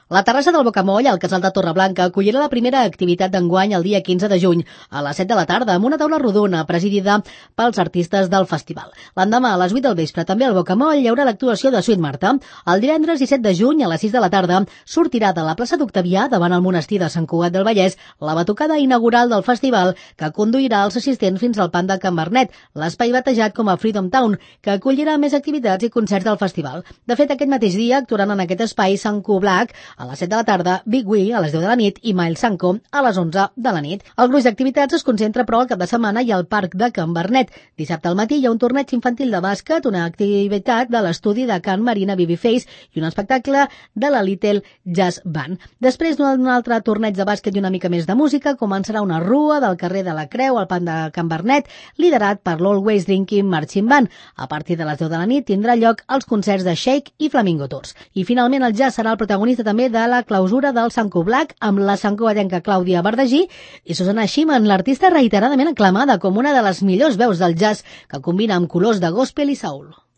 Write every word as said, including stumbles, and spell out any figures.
La terrassa del Bocamoll, al casal de Torreblanca, acollirà la primera activitat d'enguany el dia quinze de juny, a les set de la tarda, amb una taula rodona presidida pels artistes del festival. L'endemà, a les vuit del vespre, també al Bocamoll, hi haurà l'actuació de Sweet Marta. El divendres disset de juny, a les sis de la tarda, sortirà de la plaça d'Octavià, davant el monestir de Sant Cugat del Vallès, la batucada inaugural del festival, que conduirà els assistents fins al Panda Can Bernet, l'espai batejat com a Freedom Town, que acollirà més activitats i concerts del festival. De fet, aquest mateix dia actuaran en aquest espai Sant Cu Black, a les set de la tarda, Big Wee a les deu de la nit i Miles Sanko a les onze de la nit. El gruix d'activitats es concentra, però, al cap de setmana i al Parc de Can Bernet. Dissabte al matí hi ha un torneig infantil de bàsquet, una activitat de l'estudi de Can Marina Babyface i un espectacle de la Little Jazz Band. Després d'un altre torneig de bàsquet i una mica més de música, començarà una rua del carrer de la Creu al Parc de Can Bernet, liderat per l'Always Drinking Marching Band. A partir de les deu de la nit tindrà lloc els concerts de Shake i Flamingo Tours. I finalment el jazz serà el protagonista també de la clausura del Sant Cu Black amb la santcugatenca Clàudia Bardagí i Susana Schimann, l'artista reiteradament aclamada com una de les millors veus del jazz que combina amb colors de gospel i soul.